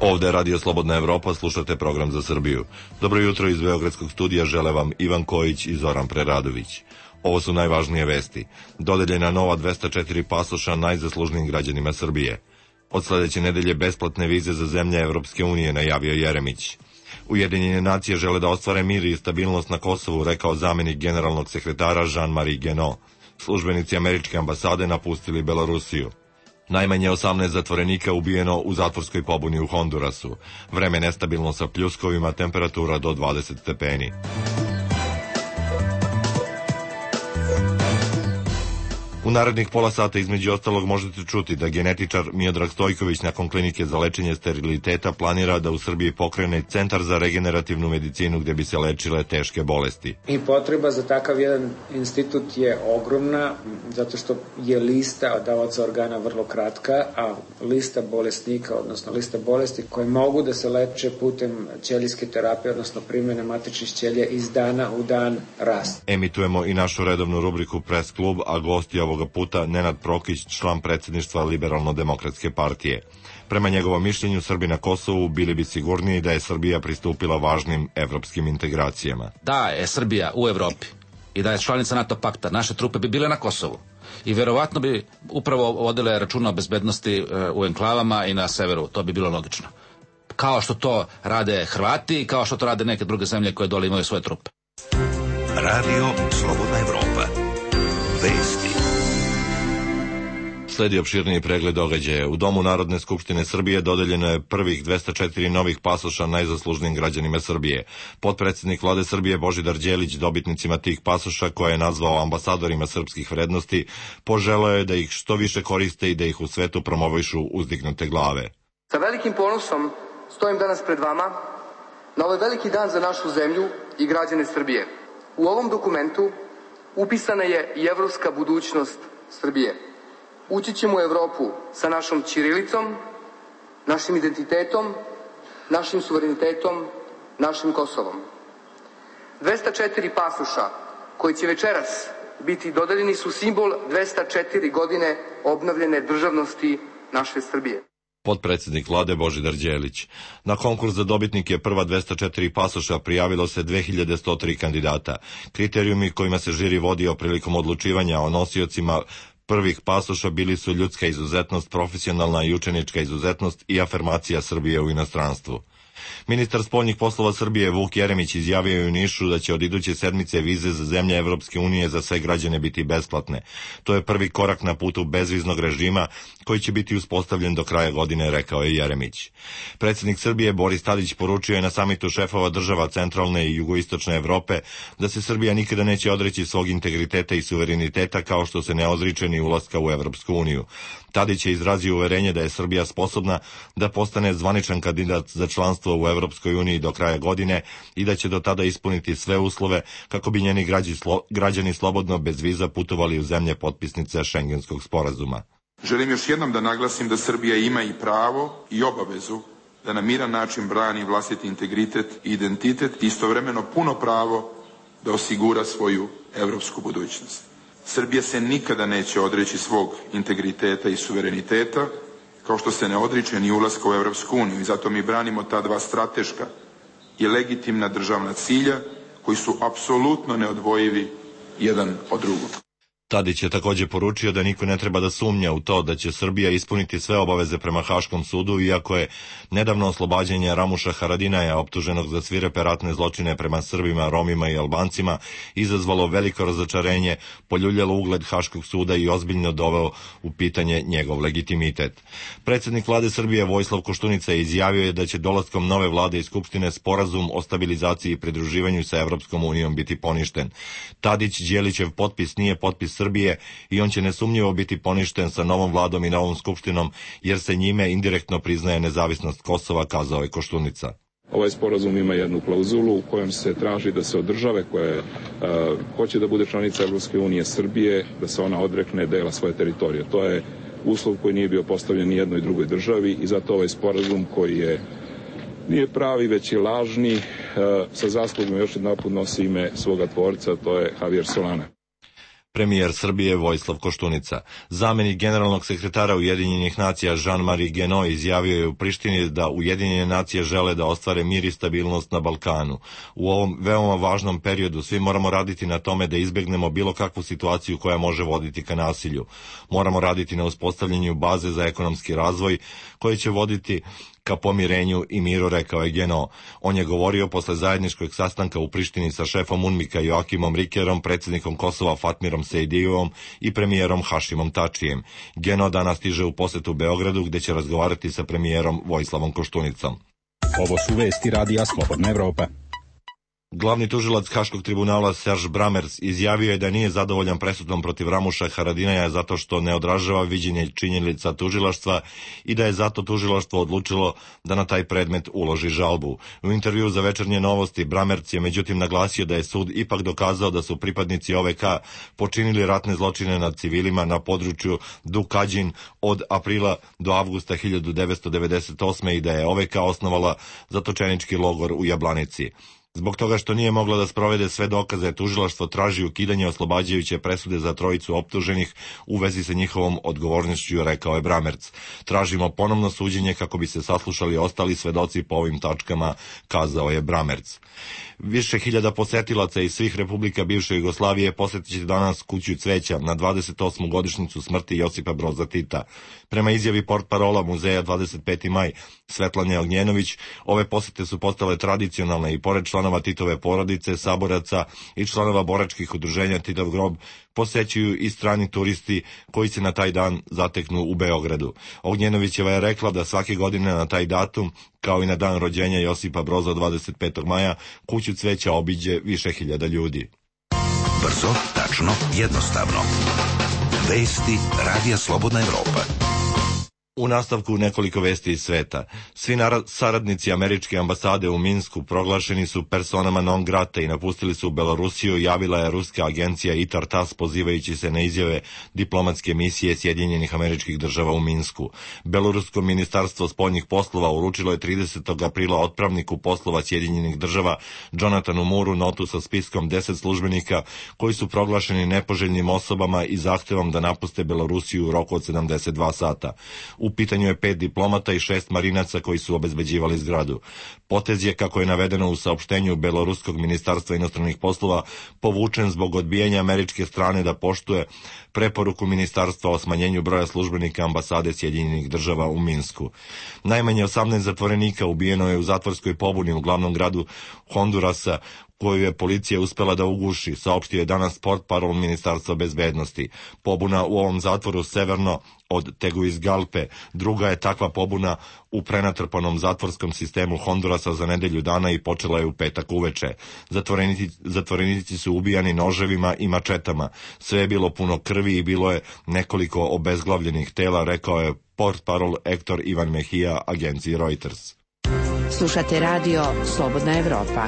Ovde je Radio Slobodna Evropa, slušate program za Srbiju. Dobro jutro iz Beogradskog studija žele vam Ivan Kojić i Zoran Preradović. Ovo su najvažnije vesti. Dodeljena nova 204 pasoša najzaslužnijim građanima Srbije. Od sledeće nedelje besplatne vize za zemlje Evropske unije, najavio Jeremić. Ujedinjene nacije žele da ostvare mir i stabilnost na Kosovu, rekao zamenik generalnog sekretara Jean-Marie Guénot. Službenici američke ambasade napustili Belorusiju. Najmanje 18 zatvorenika ubijeno u zatvorskoj pobuni u Hondurasu. Vreme nestabilno sa pljuskovima, temperatura do 20 stepeni. U narednih pola sata između ostalog možete čuti da genetičar Miodrag Stojković nakon klinike za lečenje steriliteta planira da u Srbiji pokrene centar za regenerativnu medicinu gdje bi se lečile teške bolesti. I potreba za takav jedan institut je ogromna, zato što je lista davaoca organa vrlo kratka, a lista bolesnika, odnosno lista bolesti koje mogu da se leče putem ćelijske terapije, odnosno primjene matičnih ćelija iz dana u dan raste. Emitujemo i našu redovnu rubriku Press klub, a gost je ovoga puta Nenad Prokić, član predsjedništva Liberalno-demokratske partije. Prema njegovom mišljenju, Srbi na Kosovu bili bi sigurniji da je Srbija pristupila važnim evropskim integracijama. Da je Srbija u Evropi i da je članica NATO pakta, naše trupe bi bile na Kosovu i verovatno bi upravo vodile računa o bezbednosti u enklavama i na severu. To bi bilo logično. Kao što to rade Hrvati i kao što to rade neke druge zemlje koje dole imaju svoje trupe. Radio Slobodna Evropa. Vesti. Sledi opširniji pregled događaja. U Domu Narodne skupštine Srbije dodeljeno je prvih 204 novih pasoša najzaslužnijim građanima Srbije. Potpredsjednik Vlade Srbije Božidar Đelić dobitnicima tih pasoša, koje je nazvao ambasadorima srpskih vrednosti, poželeo je da ih što više koriste i da ih u svetu promovišu uzdignute glave. Sa velikim ponosom stojim danas pred vama na ovaj veliki dan za našu zemlju i građane Srbije. U ovom dokumentu upisana je i evropska budućnost Srbije. Ući ćemo u Evropu sa našom ćirilicom, našim identitetom, našim suverenitetom, našim Kosovom. 204 pasoša koji će večeras biti dodeljeni su simbol 204 godine obnovljene državnosti naše Srbije. Potpredsjednik Vlade Božidar Đelić. Na konkurs za dobitnike prva 204 pasoša prijavilo se 2103 kandidata. Kriterijumi kojima se žiri vodio prilikom odlučivanja o nosiocima prvih pasoša bili su ljudska izuzetnost, profesionalna i učenička izuzetnost i afirmacija Srbije u inostranstvu. Ministar spoljnih poslova Srbije Vuk Jeremić izjavio je u Nišu da će od iduće sedmice vize za zemlje Evropske unije za sve građane biti besplatne. To je prvi korak na putu bezviznog režima koji će biti uspostavljen do kraja godine, rekao je Jeremić. Predsjednik Srbije Boris Tadić poručio je na samitu šefova država centralne i jugoistočne Evrope da se Srbija nikada neće odreći svog integriteta i suvereniteta kao što se ne odriče ni ulaska u Evropsku uniju. Tadić je izrazio uverenje da je Srbija sposobna da postane zvaničan kandidat za članstvo u Evropskoj uniji do kraja godine i da će do tada ispuniti sve uslove kako bi njeni građani slobodno bez viza putovali u zemlje potpisnice Šengenskog sporazuma. Želim još jednom da naglasim da Srbija ima i pravo i obavezu da na miran način brani vlastiti integritet i identitet i istovremeno puno pravo da osigura svoju evropsku budućnost. Srbija se nikada neće odreći svog integriteta i suvereniteta, kao što se ne odriče ni ulaska u Evropsku uniju, i zato mi branimo ta dva strateška i legitimna državna cilja koji su apsolutno neodvojivi jedan od drugog. Tadić je također poručio da niko ne treba da sumnja u to da će Srbija ispuniti sve obaveze prema Haškom sudu, iako je nedavno oslobađanje Ramuša Haradinaja, optuženog za svirepe ratne zločine prema Srbima, Romima i Albancima, izazvalo veliko razočarenje, poljuljalo ugled Haškog suda i ozbiljno doveo u pitanje njegov legitimitet. Predsjednik Vlade Srbije Vojislav Koštunica izjavio je da će dolaskom nove vlade i Skupštine sporazum o stabilizaciji i pridruživanju sa Evropskom unijom biti poništen. Tadić Đelićev potpis nije potpis Srbije i on će nesumnjivo biti poništen sa novom vladom i novom skupštinom, jer se njime indirektno priznaje nezavisnost Kosova, kazao je Koštunica. Ovaj sporazum ima jednu klauzulu u kojem se traži da se od države koje hoće da bude članica Evropske unije, Srbije, da se ona odrekne dela svoje teritorije. To je uslov koji nije bio postavljen ni jednoj drugoj državi i zato ovaj sporazum koji nije pravi, već je lažni, sa zaslugom još jedan put nosi ime svoga tvorca, to je Javier Solana. Premijer Srbije Vojislav Koštunica. Zamenik generalnog sekretara Ujedinjenih nacija Jean-Marie Guénot izjavio je u Prištini da Ujedinjene nacije žele da ostvare mir i stabilnost na Balkanu. U ovom veoma važnom periodu svi moramo raditi na tome da izbegnemo bilo kakvu situaciju koja može voditi ka nasilju. Moramo raditi na uspostavljanju baze za ekonomski razvoj koje će voditi ka pomirenju i miru, rekao je Guénot. On je govorio posle zajedničkog sastanka u Prištini sa šefom UNMIK-a Joakimom Rikerom, predsjednikom Kosova Fatmirom Sejdijevom i premijerom Hašimom Tačijem. Guénot danas stiže u posetu Beogradu gde će razgovarati sa premijerom Vojislavom Koštunicom. Ovo su vesti Radija Slobodna Evropa. Glavni tužilac Haškog tribunala Serge Brammertz izjavio je da nije zadovoljan presudom protiv Ramuša Haradinaja zato što ne odražava viđenje činjenica tužilaštva i da je zato tužilaštvo odlučilo da na taj predmet uloži žalbu. U intervju za Večernje novosti Brammertz je međutim naglasio da je sud ipak dokazao da su pripadnici OVK počinili ratne zločine nad civilima na području Dukadžin od aprila do avgusta 1998. i da je OVK osnovala zatočenički logor u Jablanici. Zbog toga što nije mogla da sprovede sve dokaze, tužilaštvo traži ukidanje oslobađajuće presude za trojicu optuženih u vezi sa njihovom odgovornošću, rekao je Brammertz. Tražimo ponovno suđenje kako bi se saslušali ostali svedoci po ovim tačkama, kazao je Brammertz. Više hiljada posetilaca iz svih republika bivše Jugoslavije posetit će danas Kuću cveća na 28. godišnjicu smrti Josipa Broza Tita. Prema izjavi portparola muzeja 25. maj Svetlane Ognjenović, ove posete su postale tradicionalne i pored članova Titove porodice, saboraca i članova boračkih udruženja Titov grob posećuju i strani turisti koji se na taj dan zateknu u Beogradu. Ognjenovićeva je rekla da svake godine na taj datum, kao i na dan rođenja Josipa Broza 25. maja, Kuću cveća obiđe više hiljada ljudi. Brzo, tačno, jednostavno. Vesti Radija Slobodna Evropa. U nastavku nekoliko vesti iz sveta. Svi saradnici američke ambasade u Minsku proglašeni su personama non grata i napustili su Belorusiju, javila je ruska agencija ITAR-TASS pozivajući se na izjave diplomatske misije Sjedinjenih Američkih Država u Minsku. Belorusko ministarstvo spoljnih poslova uručilo je 30. aprila otpravniku poslova Sjedinjenih Država Jonathanu Mooreu notu sa spiskom 10 službenika koji su proglašeni nepoželjnim osobama i zahtevom da napuste Belorusiju u roku od 72 sata. U pitanju je 5 diplomata i 6 marinaca koji su obezbeđivali zgradu. Potez je, kako je navedeno u saopštenju Beloruskog ministarstva inostranih poslova, povučen zbog odbijanja američke strane da poštuje preporuku ministarstva o smanjenju broja službenika ambasade Sjedinjenih Država u Minsku. Najmanje 18 zatvorenika ubijeno je u zatvorskoj pobuni u glavnom gradu Hondurasa, koju je policija uspela da uguši, saopštio je danas portparol Ministarstva bezbednosti. Pobuna u ovom zatvoru severno od Tegucigalpe druga je takva pobuna u prenatrpanom zatvorskom sistemu Hondurasa za nedelju dana i počela je u petak uveče. Zatvorenici su ubijani noževima i mačetama. Sve je bilo puno krvi i bilo je nekoliko obezglavljenih tela, rekao je portparol Hector Ivan Mejia agenciji Reuters. Slušate radio Slobodna Evropa.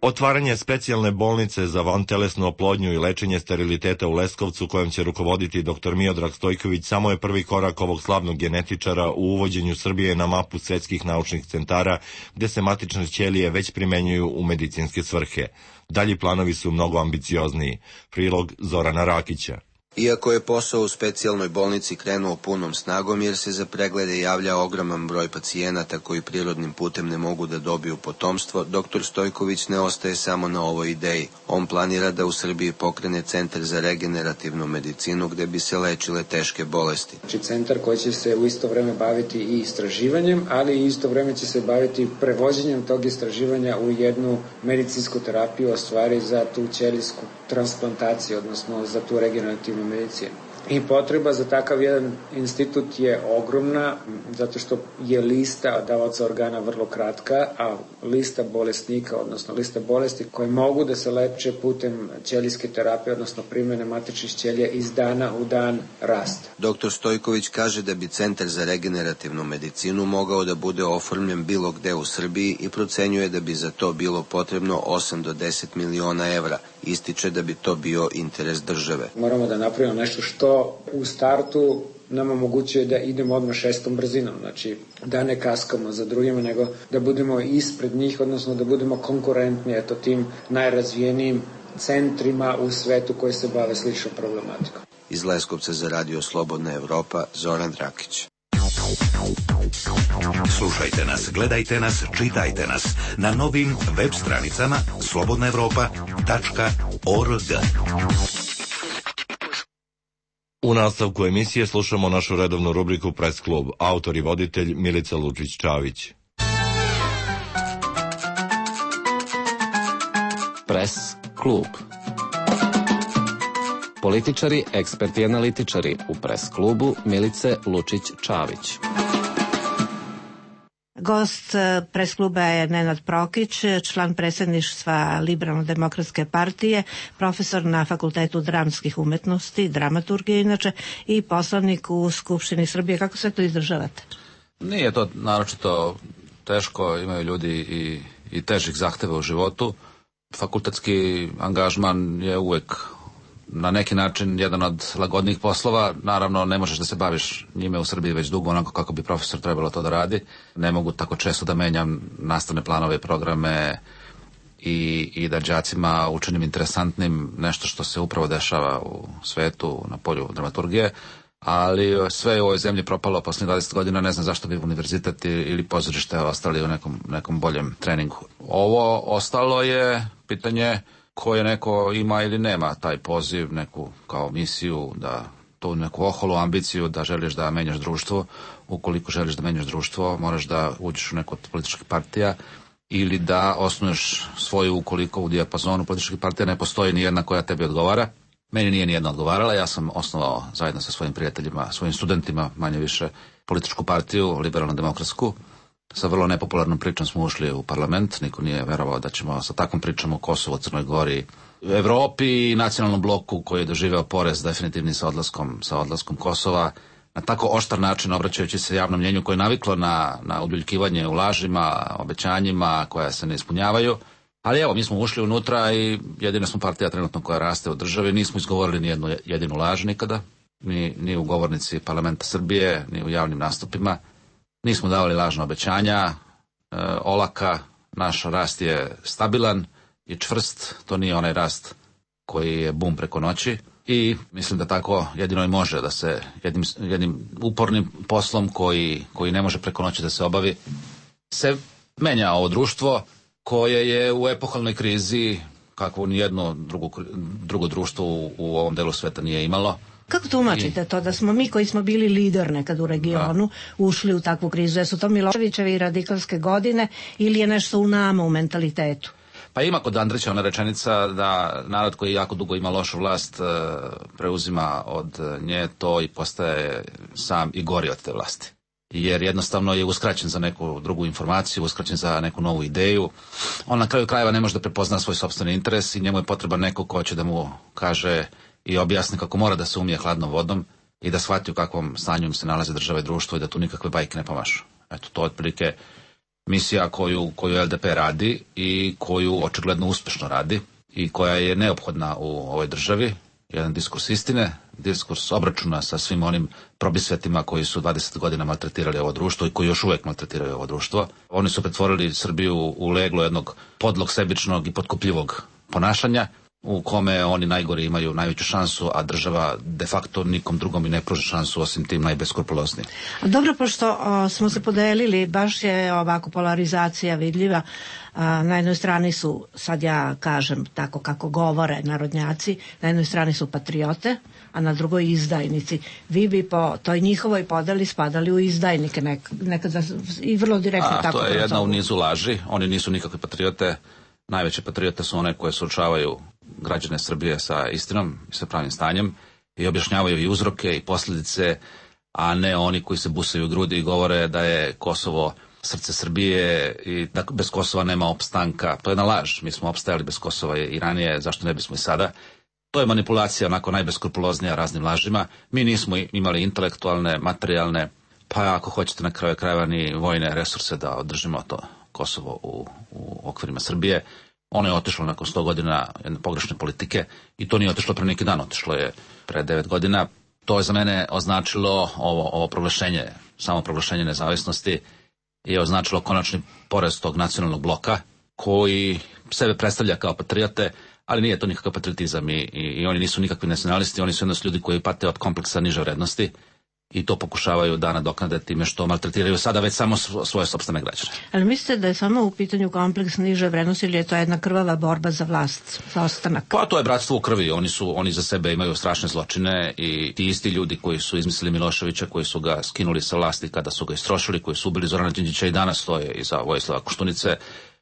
Otvaranje specijalne bolnice za vantelesnu oplodnju i lečenje steriliteta u Leskovcu, kojom će rukovoditi dr. Miodrag Stojković, samo je prvi korak ovog slavnog genetičara u uvođenju Srbije na mapu svetskih naučnih centara, gde se matične ćelije već primenjuju u medicinske svrhe. Dalji planovi su mnogo ambiciozniji. Prilog Zorana Rakića. Iako je posao u specijalnoj bolnici krenuo punom snagom jer se za preglede javlja ogroman broj pacijenata koji prirodnim putem ne mogu da dobiju potomstvo, dr. Stojković ne ostaje samo na ovoj ideji. On planira da u Srbiji pokrene centar za regenerativnu medicinu gde bi se lečile teške bolesti. Znači centar koji će se u isto vreme baviti i istraživanjem, ali i isto vreme će se baviti prevođenjem tog istraživanja u jednu medicinsku terapiju, a stvari za tu ćelijsku transplantaciju, odnosno za tu regenerativnu medicinu. I potreba za takav jedan institut je ogromna, zato što je lista davaoca organa vrlo kratka, a lista bolesnika, odnosno lista bolesti koje mogu da se leče putem ćelijske terapije, odnosno primene matičnih ćelija, iz dana u dan raste. Dr. Stojković kaže da bi centar za regenerativnu medicinu mogao da bude oformljen bilo gde u Srbiji i procenjuje da bi za to bilo potrebno 8 do 10 miliona evra. Ističe da bi to bio interes države. Moramo da napravimo nešto što u startu nam omogućuje da idemo odmah 6. brzinom, znači da ne kaskamo za drugima, nego da budemo ispred njih, odnosno da budemo konkurentni tim najrazvijenijim centrima u svetu koji se bave sličnom problematikom. Iz Leskovca za Radio Slobodna Evropa, Zoran Drakić. Slušajte nas, gledajte nas, čitajte nas na novim web stranicama slobodnaevropa.org. U nastavku emisije slušamo našu redovnu rubriku Press klub. Autor i voditelj Milica Lučić-Čavić. Press klub. Političari, eksperti i analitičari u Press klubu Milice Lučić-Čavić. Gost Press kluba je Nenad Prokić, član predsjedništva Liberalno-demokratske partije, profesor na Fakultetu dramskih umetnosti, dramaturgije inače, i poslanik u Skupštini Srbije. Kako sve to izdržavate? Nije to naročito teško, imaju ljudi i težih zahteva u životu. Fakultetski angažman je uvek na neki način jedan od lagodnijih poslova. Naravno, ne možeš da se baviš njime u Srbiji već dugo onako kako bi profesor trebalo to da radi. Ne mogu tako često da menjam nastavne planove i programe i da đacima učinim interesantnim nešto što se upravo dešava u svetu na polju dramaturgije. Ali sve je u ovoj zemlji propalo posle 20 godina, ne znam zašto bi univerzitet ili pozorište ostali u nekom boljem treningu. Ovo ostalo je pitanje koje neko ima ili nema taj poziv, neku kao misiju, da tu neku oholu ambiciju da želiš da menjaš društvo. Ukoliko želiš da menjaš društvo, moraš da uđeš u neku od političkih partija ili da osnuješ svoju, ukoliko u dijapazonu političkih partija ne postoji nijedna koja tebi odgovara. Meni nije nijedna odgovarala, ja sam osnovao zajedno sa svojim prijateljima, svojim studentima, manje više, političku partiju, liberalno-demokratsku. Sa vrlo nepopularnom pričom smo ušli u parlament, niko nije verovao da ćemo sa takvom pričom o Kosovu, Crnoj Gori, Evropi i nacionalnom bloku koji je doživeo porez definitivni sa odlaskom Kosova, na tako oštar način obraćajući se javnom mnjenju koje je naviklo na ubiljkivanje u lažima, obećanjima koja se ne ispunjavaju. Ali evo, mi smo ušli unutra i jedina smo partija trenutno koja raste u državi, nismo izgovorili ni jednu jedinu laž nikada, ni u govornici parlamenta Srbije, ni u javnim nastupima. Nismo davali lažna obećanja, olaka, naš rast je stabilan i čvrst, to nije onaj rast koji je bum preko noći i mislim da tako jedino i može da se jednim upornim poslom koji ne može preko noći da se obavi, se menja ovo društvo koje je u epohalnoj krizi kakvo nijedno drugo društvo u ovom delu sveta nije imalo. Kako tumačite to da smo mi koji smo bili lider nekad u regionu ušli u takvu krizu? Jesu to Miloševićeve i radikalske godine ili je nešto u nama, u mentalitetu? Pa ima kod Andrića ona rečenica da narod koji jako dugo ima lošu vlast preuzima od nje to i postaje sam i gori od te vlasti. Jer jednostavno je uskraćen za neku drugu informaciju, uskraćen za neku novu ideju. On na kraju krajeva ne može da prepozna svoj sopstveni interes i njemu je potreban neko ko će da mu kaže i objasni kako mora da se umije hladnom vodom i da shvati u kakvom stanju im se nalaze država i društvo i da tu nikakve bajke ne pomašu. Eto, to je otprilike misija koju LDP radi i koju očigledno uspešno radi i koja je neophodna u ovoj državi. Jedan diskurs istine, diskurs obračuna sa svim onim probisvetima koji su 20 godina maltretirali ovo društvo i koji još uvek maltretiraju ovo društvo. Oni su pretvorili Srbiju u leglo jednog podlog, sebičnog i potkupljivog ponašanja u kome oni najgori imaju najveću šansu, a država de facto nikom drugom i ne pruža šansu osim tim najbeskrupuloznijim. Dobro, pošto smo se podelili, baš je ovako polarizacija vidljiva. Na jednoj strani su, sad ja kažem tako kako govore narodnjaci, na jednoj strani su patriote, a na drugoj izdajnici. Vi bi po toj njihovoj podeli spadali u izdajnike nekad i vrlo direktno tako. To je jedna u nizu laži, oni nisu nikakve patriote. Najveće patriote su one koje suočavaju građane Srbije sa istinom i sa pravim stanjem i objašnjavaju i uzroke i posljedice, a ne oni koji se busaju u grudi i govore da je Kosovo srce Srbije i da bez Kosova nema opstanka. To je jedna laž. Mi smo opstajali bez Kosova i ranije, zašto ne bismo i sada? To je manipulacija onako najbeskrupuloznija raznim lažima. Mi nismo imali intelektualne, materijalne, pa ako hoćete na kraju krajeva ni vojne resurse da održimo to Kosovo u okvirima Srbije. Ono je otišlo nakon 100 godina jedne pogrešne politike i to nije otišlo pre neki dan, otišlo je pre 9 godina. To je za mene označilo ovo proglašenje, samo proglašenje nezavisnosti je označilo konačni porez tog nacionalnog bloka koji sebe predstavlja kao patriote, ali nije to nikakav patriotizam i oni nisu nikakvi nacionalisti, oni su jednostavno ljudi koji pate od kompleksa niže vrednosti i to pokušavaju da nadoknade time što maltretiraju sada već samo svoje sopstvene građane. Ali mislite da je samo u pitanju kompleks niže vrednosti ili je to jedna krvava borba za vlast, za ostanak? Pa to je bratstvo u krvi, oni za sebe imaju strašne zločine i ti isti ljudi koji su izmislili Miloševića, koji su ga skinuli sa vlasti kada su ga istrošili, koji su ubili Zorana Đinđića i danas stoje iza Vojislava Koštunice,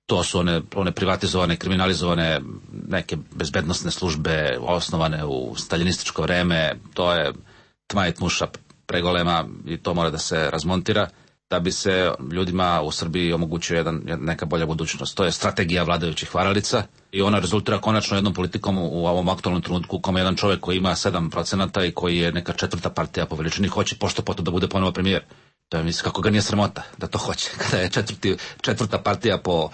to su one privatizovane, kriminalizovane neke bezbednosne službe osnovane u staljinističko vreme, to je tma i tmuša pregolema i to mora da se razmontira da bi se ljudima u Srbiji omogućio neka bolja budućnost. To je strategija vladajućih varalica i ona rezultira konačno jednom politikom u ovom aktualnom trenutku u kome jedan čovjek koji ima 7% i koji je neka četvrta partija po veličini hoće pošto poto da bude ponovo premijer. To je mislim kako ga nije sramota da to hoće. Kada je četvrta partija po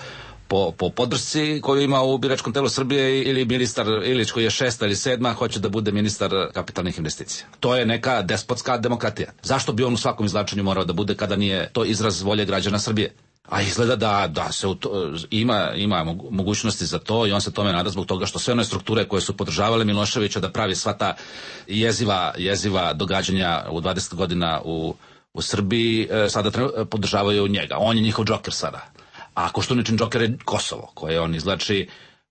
podršci koju ima u biračkom telu Srbije ili ministar Ilić koji je 6. ili 7. hoće da bude ministar kapitalnih investicija. To je neka despotska demokratija. Zašto bi on u svakom izvlačenju morao da bude kada nije to izraz volje građana Srbije? A izgleda da se ima mogućnosti za to i on se tome nada zbog toga što sve one strukture koje su podržavale Miloševića da pravi sva ta jeziva događanja u 20 godina u Srbiji sada podržavaju njega. On je njihov džoker sada. A Koštuničin džoker je Kosovo, koje on izvlači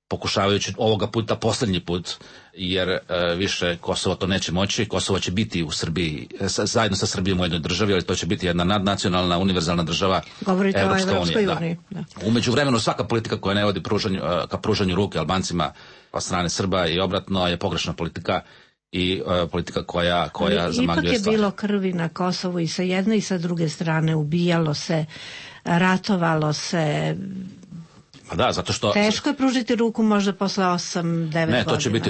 pokušavajući ovoga puta posljednji put, jer više Kosovo to neće moći. Kosovo će biti u Srbiji, zajedno sa Srbijom u jednoj državi, ali to će biti jedna nadnacionalna, univerzalna država. Govorite o Evropskoj uniji. U međuvremenu svaka politika koja ne vodi ka pružanju ruke Albancima od strane Srba i obratno je pogrešna politika i politika koja zamagljuje stvar. Ipak je bilo krvi na Kosovu i sa jedne i sa druge strane, ubijalo se, ratovalo se. Pa da, zato što teško je pružiti ruku možda posle 8-9 godina. Ne,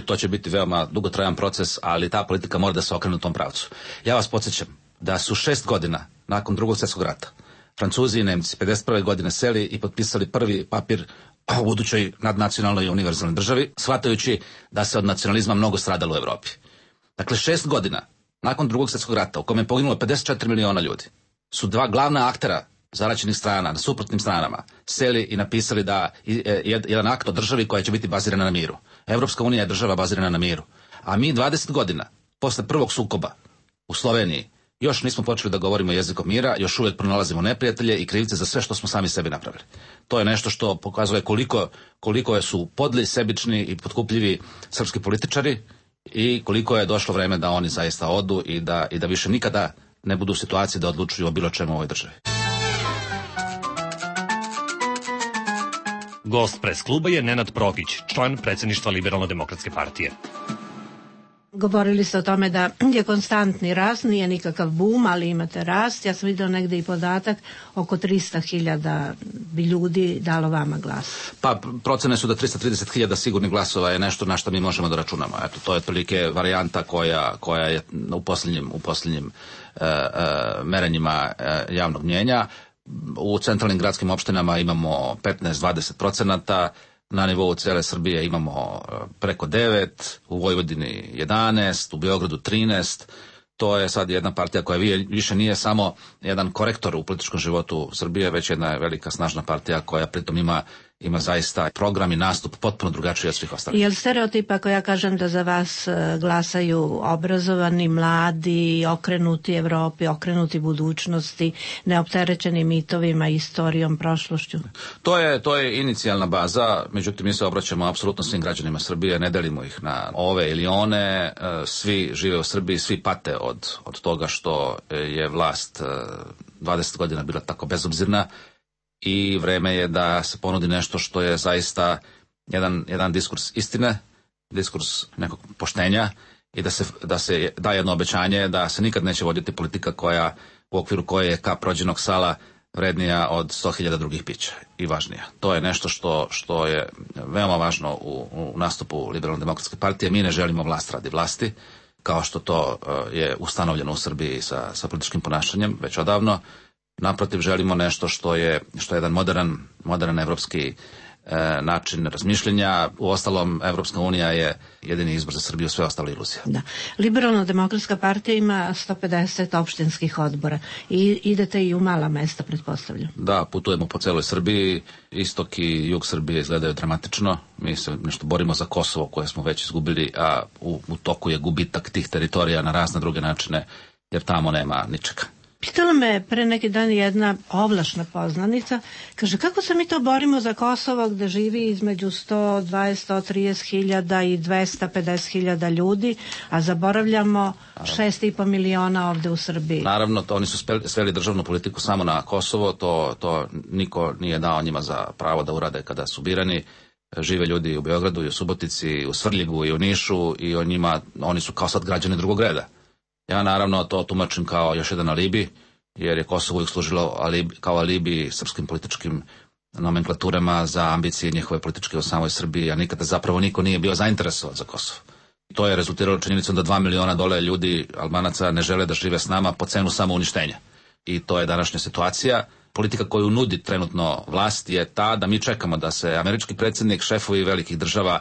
to će biti veoma dugotrajan proces, ali ta politika mora da se okrene u tom pravcu. Ja vas podsjećam da su 6 godina nakon Drugog svjetskog rata Francuzi i Nemci 51. godine seli i potpisali prvi papir o budućoj nadnacionalnoj i univerzalnoj državi, shvatajući da se od nacionalizma mnogo stradalo u Evropi. Dakle, 6 godina nakon Drugog svjetskog rata, u kojem je poginulo 54 miliona ljudi, su dva glavna aktera zaraćenih strana, na suprotnim stranama, seli i napisali da jedan akt o državi koja će biti bazirana na miru. Evropska unija je država bazirana na miru. A mi 20 godina, posle prvog sukoba u Sloveniji, još nismo počeli da govorimo jezikom mira, još uvijek pronalazimo neprijatelje i krivice za sve što smo sami sebi napravili. To je nešto što pokazuje koliko su podli, sebični i potkupljivi srpski političari i koliko je došlo vreme da oni zaista odu i da više nikada ne budu u situaciji da odlučuju o bilo čemu u ovoj državi. Gost pres kluba je Nenad Prokić, član predsjedništva Liberalno-demokratske partije. Govorili ste o tome da je konstantni rast, nije nikakav bum, ali imate rast. Ja sam vidjela negdje i podatak, oko 300.000 bi ljudi dalo vama glas. Pa procene su da 330.000 sigurnih glasova je nešto na što mi možemo da računamo. Eto, to je otprilike varijanta koja je u posljednjim merenjima javnog mnjenja. U centralnim gradskim opštinama imamo 15-20%, na nivou cijele Srbije imamo preko 9%, u Vojvodini 11%, u Beogradu 13%. To je sad jedna partija koja više nije samo jedan korektor u političkom životu Srbije, već jedna velika snažna partija koja pritom ima zaista program i nastup potpuno drugačiji od svih ostalih. Je li stereotip ako ja kažem da za vas glasaju obrazovani, mladi, okrenuti Evropi, okrenuti budućnosti, neopterećeni mitovima, istorijom, prošlošću? To je inicijalna baza, međutim mi se obraćamo apsolutno svim građanima Srbije, ne delimo ih na ove ili one, svi žive u Srbiji, svi pate od toga što je vlast 20 godina bila tako bezobzirna. I vreme je da se ponudi nešto što je zaista jedan diskurs istine, diskurs nekog poštenja i da se da jedno obećanje da se nikad neće voditi politika u okviru koje je kap rođenog sala vrednija od 100.000 drugih pića i važnija. To je nešto što je veoma važno u nastupu Liberalno-demokratske partije. Mi ne želimo vlast radi vlasti, kao što to je ustanovljeno u Srbiji sa političkim ponašanjem već odavno. Naprotiv, želimo nešto što je jedan modern evropski način razmišljenja. Uostalom, Evropska unija je jedini izbor za Srbiju, sve ostalo iluzija. Da. Liberalno-demokratska partija ima 150 opštinskih odbora i idete i u mala mesta, pretpostavljam. Da, putujemo po celoj Srbiji, istok i jug Srbije izgledaju dramatično. Mi se nešto borimo za Kosovo koje smo već izgubili, a u toku je gubitak tih teritorija na razne druge načine, jer tamo nema ničega. Pitala me pre neki dan jedna ovlašna poznanica, kaže kako se mi to borimo za Kosovo gde živi između 120-130 hiljada i 250 hiljada ljudi, a zaboravljamo 6,5 miliona ovde u Srbiji. Naravno, oni su sveli državnu politiku samo na Kosovo, to niko nije dao njima za pravo da urade kada su birani. Žive ljudi u Beogradu i u Subotici, u Svrljigu i u Nišu i oni su kao sad građani drugog reda. Ja naravno to tumačim kao još jedan alibi, jer je Kosovo uvijek služilo kao alibi srpskim političkim nomenklaturama za ambicije njihove političke u samoj Srbiji, a nikada zapravo niko nije bio zainteresovan za Kosovo. To je rezultiralo činjenicom da 2 miliona dole ljudi, Albanaca, ne žele da žive s nama po cenu samouništenja. I to je današnja situacija. Politika koju nudi trenutno vlast je ta da mi čekamo da se američki predsjednik, šefovi velikih država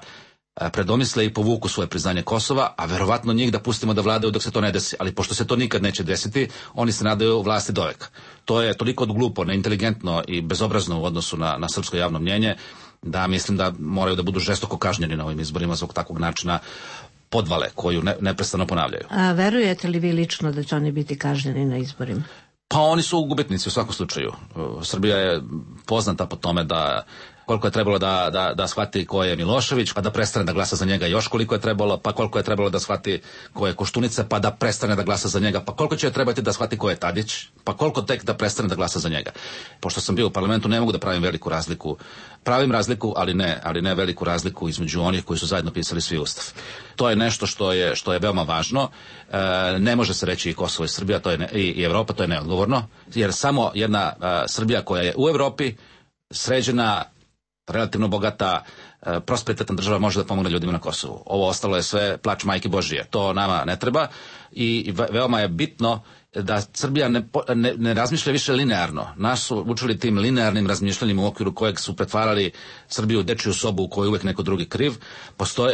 predomisle i povuku svoje priznanje Kosova, a verovatno njih da pustimo da vladaju dok se to ne desi. Ali pošto se to nikad neće desiti, oni se nadaju vlasti doveka. To je toliko glupo, neinteligentno i bezobrazno u odnosu na srpsko javno mnjenje, da mislim da moraju da budu žestoko kažnjeni na ovim izborima zbog takvog načina podvale koju neprestano ponavljaju. A verujete li vi lično da će oni biti kažnjeni na izborima? Pa oni su gubitnici u svakom slučaju. Srbija je poznata po tome da koliko je trebalo da shvati ko je Milošević, pa da prestane da glasa za njega još koliko je trebalo, pa koliko je trebalo da shvati ko je Koštunica, pa da prestane da glasa za njega, pa koliko će trebati da shvati ko je Tadić, pa koliko tek da prestane da glasa za njega. Pošto sam bio u parlamentu, ne mogu da pravim veliku razliku. Pravim razliku, ali ne veliku razliku između onih koji su zajedno pisali svi ustav. To je nešto što je veoma važno. Ne može se reći i Kosovo i Srbija, i Evropa, to je neodgovorno, jer samo jedna Srbija koja je u Evropi, sređena, relativno bogata, prosperitetna država može da pomogne ljudima na Kosovu. Ovo ostalo je sve plač majke Božije. To nama ne treba i veoma je bitno da Srbija ne razmišlja više linearno. Nas su učili tim linearnim razmišljanjem u okviru kojeg su pretvarali Srbiju u dečiju sobu u kojoj je uvek neko drugi kriv.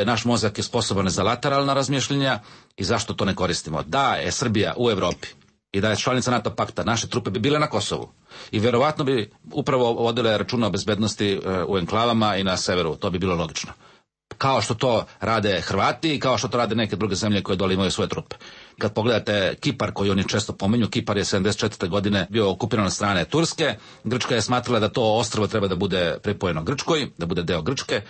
Naš mozak je sposoban za lateralna razmišljanja i zašto to ne koristimo? Da je Srbija u Evropi i da je članica NATO pakta, naše trupe bi bile na Kosovu i verovatno bi upravo vodile računa o bezbednosti u enklavama i na severu. To bi bilo logično. Kao što to rade Hrvati i kao što to rade neke druge zemlje koje dole imaju svoje trupe. Kad pogledate Kipar, koji oni često pominju, Kipar je 74. godine bio okupiran od strane Turske. Grčka je smatrala da to ostrvo treba da bude pripojeno Grčkoj, da bude deo Grčke.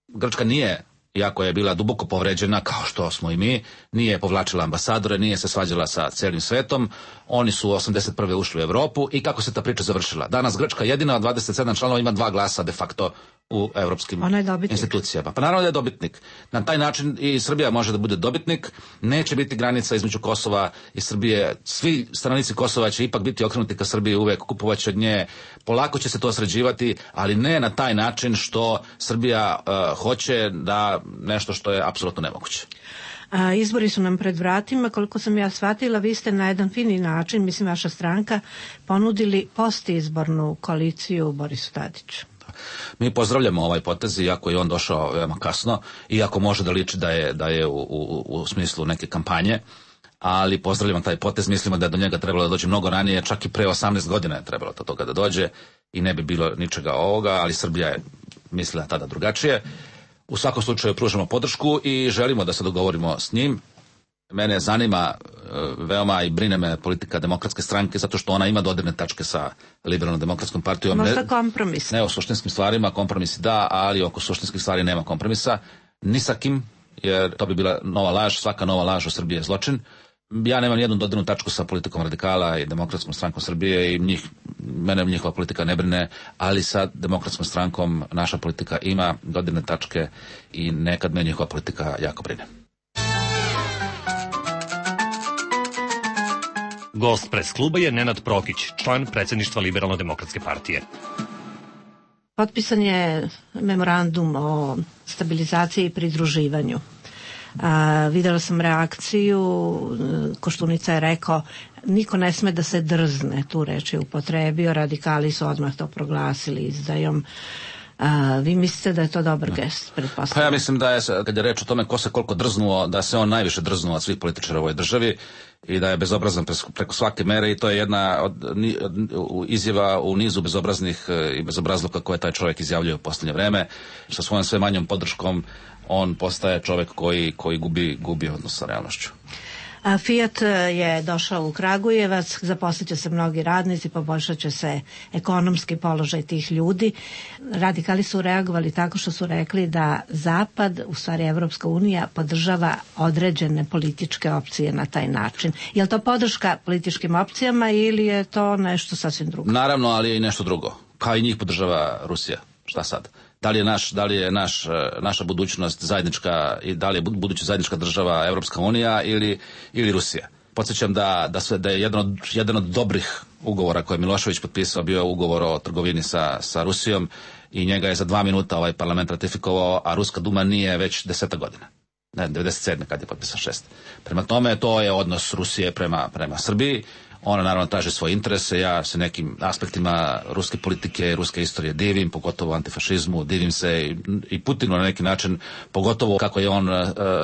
Grčka nije, iako je bila duboko povređena, kao što smo i mi, nije povlačila ambasadore, nije se svađala sa celim svetom. Oni su 81. ušli u Evropu i kako se ta priča završila? Danas Grčka jedina od 27 članova ima 2 glasa de facto u evropskim institucijama. Pa naravno da je dobitnik. Na taj način i Srbija može da bude dobitnik. Neće biti granica između Kosova i Srbije. Svi stanovnici Kosova će ipak biti okrenuti ka Srbiji, uvek kupovaće od nje. Polako će se to sređivati, ali ne na taj način što Srbija hoće da nešto što je apsolutno nemoguće. Izbori su nam pred vratima, koliko sam ja shvatila, vi ste na jedan fini način, mislim vaša stranka, ponudili postizbornu koaliciju Borisu Tadiću. Mi pozdravljamo ovaj potez, iako je on došao veoma kasno, iako može da liči da je u smislu neke kampanje, ali pozdravljamo taj potez, mislimo da je do njega trebalo da dođe mnogo ranije, čak i pre 18 godina je trebalo do toga da dođe i ne bi bilo ničega ovoga, ali Srbija je mislila tada drugačije. U svakom slučaju pružamo podršku i želimo da se dogovorimo s njim. Mene zanima veoma i brine me politika Demokratske stranke, zato što ona ima dodirne tačke sa Liberalno-demokratskom partijom. Možda kompromis. Ne o suštinskim stvarima, kompromisi da, ali oko suštinskih stvari nema kompromisa. Ni sa kim, jer to bi bila nova laž, svaka nova laž u Srbiji je zločin. Ja nemam nijednu dodirnu tačku sa politikom radikala i Demokratskom strankom Srbije i mene njihova politika ne brine, ali sa Demokratskom strankom naša politika ima dodirne tačke i nekad me njihova politika jako brine. Gost pres kluba je Nenad Prokić, član predsjedništva Liberalno-demokratske partije. Potpisan je memorandum o stabilizaciji i pridruživanju. Videla sam reakciju, Koštunica je rekao niko ne sme da se drzne, tu reč je upotrebio, radikali su odmah to proglasili izdajom. Vi mislite da je to dobar gest, pretpostavljam? Pa ja mislim da je, kad je reč o tome ko se koliko drznuo, da se on najviše drznuo od svih političara u ovoj državi i da je bezobrazan preko svake mere i to je jedna od izjava u nizu bezobraznih i bezobrazluka koje taj čovjek izjavljuje u posljednje vreme. Sa svojom sve manjom podrškom on postaje čovjek koji gubi odnos sa realnošću. Fiat je došao u Kragujevac, zaposlit će se mnogi radnici, poboljšat će se ekonomski položaj tih ljudi. Radikali su reagovali tako što su rekli da Zapad, u stvari Evropska unija, podržava određene političke opcije na taj način. Je li to podrška političkim opcijama ili je to nešto sasvim drugo? Naravno, ali je i nešto drugo. Kao i njih podržava Rusija. Šta sad? Da li je naša budućnost zajednička i da li je buduća zajednička država Evropska unija ili Rusija? Podsjećam da je jedan od dobrih ugovora koje je Milošević potpisao bio ugovor o trgovini sa Rusijom i njega je za 2 minuta ovaj parlament ratifikovao, a Ruska duma nije već 10 godina. Ne, 97. kad je potpisan 6. Prema tome, to je odnos Rusije prema Srbiji. Ona naravno traži svoje interese, ja se nekim aspektima ruske politike, ruske istorije divim, pogotovo antifašizmu, divim se i Putinu na neki način, pogotovo kako je on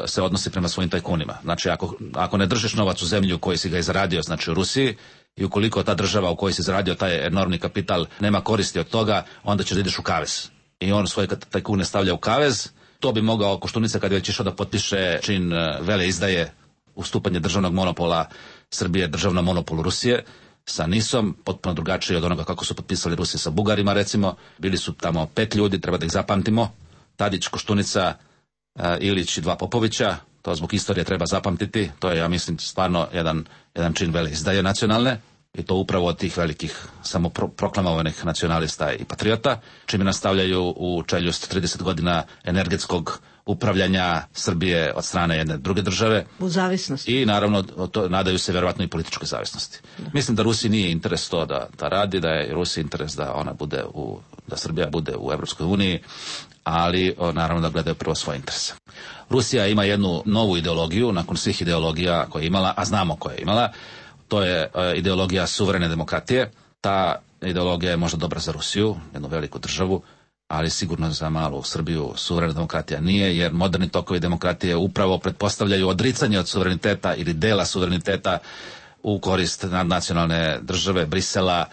se odnosi prema svojim tajkunima. Znači, ako ne držiš novac u zemlju u kojoj si ga izradio, znači u Rusiji, i ukoliko ta država u kojoj si izradio taj enormni kapital nema koristi od toga, onda ćeš da ideš u kavez. I on svoje tajkune stavlja u kavez. To bi mogao Koštunica kad je već išao da potpiše čin veleizdaje, ustupanje državnog monopola Srbije državnom monopolu Rusije sa NIS-om, potpuno drugačije od onoga kako su potpisali Rusi sa Bugarima, recimo. Bili su tamo 5 ljudi, treba da ih zapamtimo. Tadić, Koštunica, Ilić i 2 Popovića. To zbog istorije treba zapamtiti. To je, ja mislim, stvarno jedan čin veleizdaje nacionalne. I to upravo od tih velikih samoproklamovanih nacionalista i patriota, čime nastavljaju u čeljust 30 godina energetskog upravljanja Srbije od strane jedne druge države. U zavisnosti. I naravno nadaju se verovatno i političkoj zavisnosti. Mislim da Rusiji nije interes to da radi, da je Rusiji interes da ona bude da Srbija bude u Evropskoj uniji, ali naravno da gledaju prvo svoje interese. Rusija ima jednu novu ideologiju nakon svih ideologija koje je imala, a znamo koje je imala. To je ideologija suverene demokratije. Ta ideologija je možda dobra za Rusiju, jednu veliku državu, ali sigurno za malu Srbiju suverena demokratija nije, jer moderni tokovi demokratije upravo pretpostavljaju odricanje od suvereniteta ili dela suvereniteta u korist nadnacionalne države Brisela,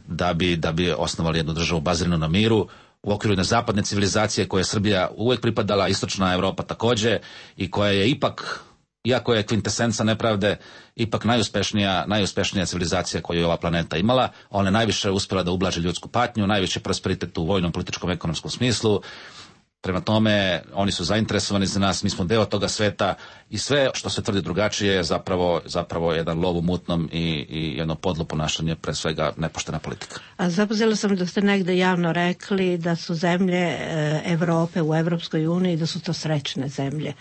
da bi osnovali jednu državu baziranu na miru. U okviru jedne zapadne civilizacije koje je Srbija uvek pripadala, istočna Evropa takođe, i koja je ipak, iako je kvintesenca nepravde, ipak najuspešnija civilizacija koju je ova planeta imala. Ona je najviše uspjela da ublaži ljudsku patnju, najviše prosperitet u vojnom, političkom, ekonomskom smislu. Prema tome, oni su zainteresovani za nas, mi smo deo toga sveta i sve što se tvrdi drugačije je zapravo jedan lov u mutnom i jedno podlo ponašanje, pre svega nepoštena politika. A zapazila sam da ste negde javno rekli da su zemlje Evrope u Evropskoj uniji, da su to srećne zemlje.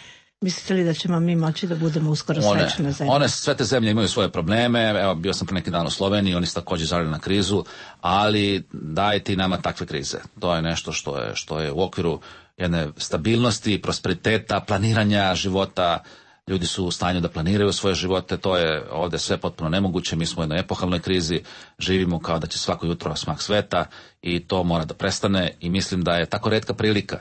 Mislite li da ćemo mi moći da budemo uskoro srećne zemlje? Sve te zemlje imaju svoje probleme. Evo, bio sam pre neki dan u Sloveniji, oni su također žalili na krizu, ali dajte i nama takve krize. To je nešto što je u okviru jedne stabilnosti, prosperiteta, planiranja života. Ljudi su u stanju da planiraju svoje živote, to je ovdje sve potpuno nemoguće. Mi smo u jednoj epohalnoj krizi, živimo kao da će svako jutro smak sveta i to mora da prestane i mislim da je tako retka prilika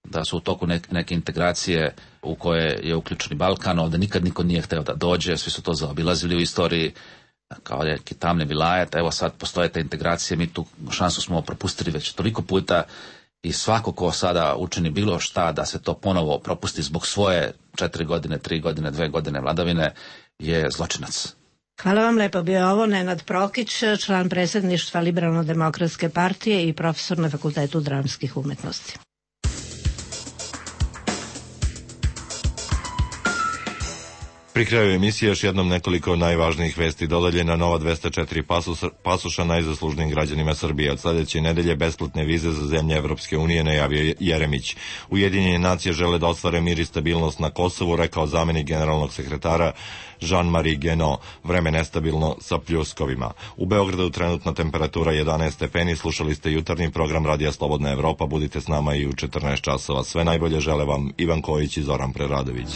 da su u toku neke integracije u koje je uključen Balkan, ovdje nikad niko nije hteo da dođe, svi su to zaobilazili u istoriji, kao neki tamni vilajet. Evo sad postoje te integracije, mi tu šansu smo propustili već toliko puta i svako ko sada učini bilo šta da se to ponovo propusti zbog svoje 4 godine, 3 godine, 2 godine vladavine je zločinac. Hvala vam lepo. Bio je ovo Nenad Prokić, član predsjedništva Liberalno-demokratske partije i profesor na Fakultetu dramskih umetnosti. Pri kraju emisije još jednom nekoliko najvažnijih vesti. Dodeljena nova 204 pasoša najzaslužnijim građanima Srbije. Od sljedeće nedelje besplatne vize za zemlje Evropske unije najavio Jeremić. Ujedinjene nacije žele da ostvare mir i stabilnost na Kosovu, rekao zamenik generalnog sekretara Jean-Marie Guénot. Vreme nestabilno sa pljuskovima. U Beogradu trenutna temperatura 11 stepeni. Slušali ste jutarnji program Radija Slobodna Evropa. Budite s nama i u 14 časova. Sve najbolje žele vam Ivan Kojić i Zoran Preradović.